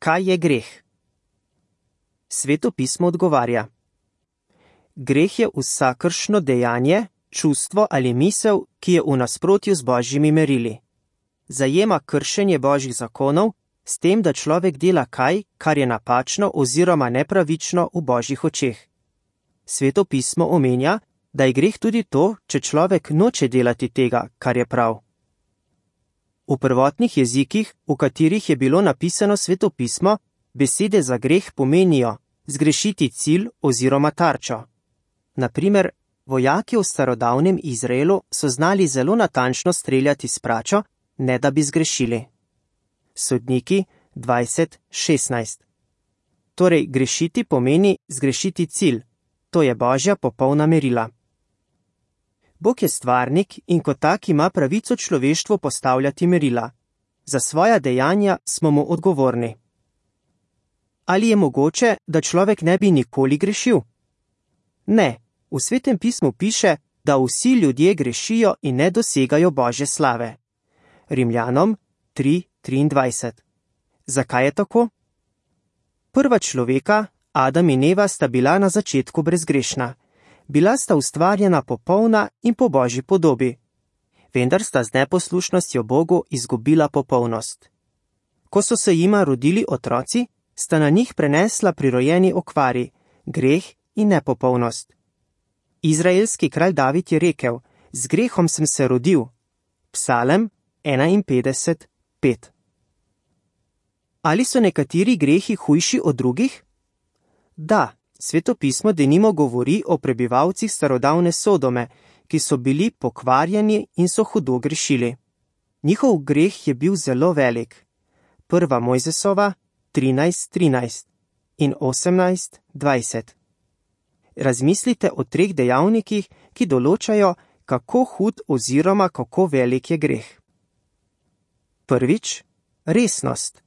Kaj je greh? Sveto pismo odgovarja: greh je vsakršno dejanje, čustvo ali misel, ki je v nasprotju z Božjimi merili. Zajema kršenje Božjih zakonov, s tem, da človek dela kaj, kar je napačno oziroma nepravično v Božjih očeh. Sveto pismo omenja, da je greh tudi to, če človek noče delati tega, kar je prav. V prvotnih jezikih, v katerih je bilo napisano Sveto pismo, besede za greh pomenijo zgrešiti cilj oziroma tarčo. Na primer, vojaki v starodavnem Izraelu so znali zelo natančno streljati s pračo, ne da bi zgrešili. Sodniki 20:16. Torej, grešiti pomeni zgrešiti cilj, to je Božja popolna merila. Bog je stvarnik in kot tak ima pravico človeštvu postavljati merila. Za svoja dejanja smo mu odgovorni. Ali je mogoče, da človek ne bi nikoli grešil? Ne, v Svetem pismu piše, da vsi ljudje grešijo in ne dosegajo Božje slave. Rimljanom 3:23. Zakaj je tako? Prva človeka, Adam in Eva, sta bila na začetku brezgrešna. Bila sta ustvarjena popolna in po Božji podobi. Vendar sta z neposlušnostjo Bogu izgubila popolnost. Ko so se jima rodili otroci, sta na njih prenesla prirojeni okvari, greh in nepopolnost. Izraelski kralj David je rekel: z grehom sem se rodil. Psalem 51:5. Ali so nekateri grehi hujši od drugih? Da, Sveto pismo denimo govori o prebivalcih starodavne Sodome, ki so bili pokvarjeni in so hudo grešili. Njihov greh je bil zelo velik. 1. Mojzesova 13:13 in 18:20. Razmislite o 3 dejavnikih, ki določajo, kako hud oziroma kako velik je greh. Prvič, resnost.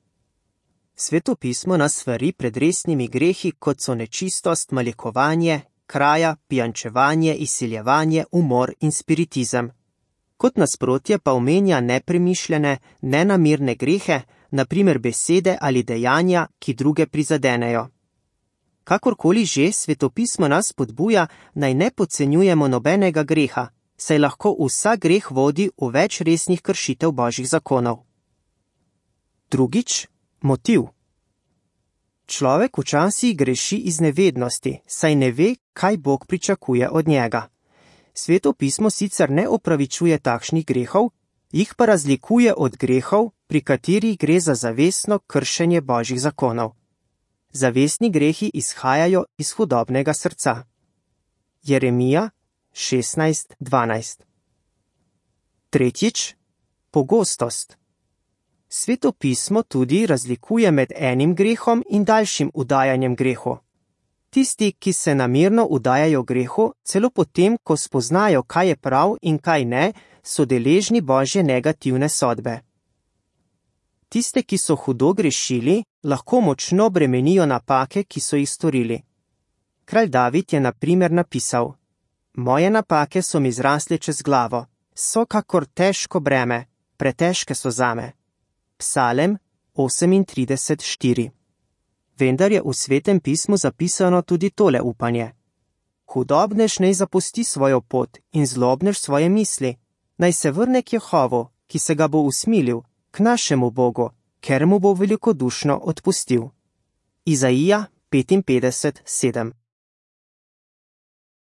Sveto pismo nas svari pred resnimi grehi, kot so nečistost, malikovanje, kraja, pijančevanje, izsiljevanje, umor in spiritizem. Kot nasprotje pa omenja nepremišljene, nenamirne grehe, na primer besede ali dejanja, ki druge prizadenejo. Kakorkoli že, Sveto pismo nas spodbuja, naj ne podcenjujemo nobenega greha, saj lahko vsak greh vodi v več resnih kršitev Božjih zakonov. Drugič, motiv. Človek včasih greši iz nevednosti, saj ne ve, kaj Bog pričakuje od njega. Sveto pismo sicer ne opravičuje takšnih grehov, jih pa razlikuje od grehov, pri katerih gre za zavestno kršenje Božjih zakonov. Zavestni grehi izhajajo iz hudobnega srca. Jeremija 16:12. Tretjič, pogostost. Sveto pismo tudi razlikuje med enim grehom in daljšim udajanjem grehu. Tisti, ki se namerno udajajo grehu, celo potem, ko spoznajo, kaj je prav in kaj ne, so deležni Božje negativne sodbe. Tiste, ki so hudo grešili, lahko močno bremenijo napake, ki so jih storili. Kralj David je na primer napisal: moje napake so mi zrasle čez glavo, so kakor težko breme, pretežke so zame. Psalem 38:4. Vendar je v Svetem pismu zapisano tudi tole upanje: hudobnež naj zapusti svojo pot in zlobnež svoje misli, naj se vrne k Jehovu, ki se ga bo usmilil, k našemu Bogu, ker mu bo velikodušno odpustil. Izaija 55:7.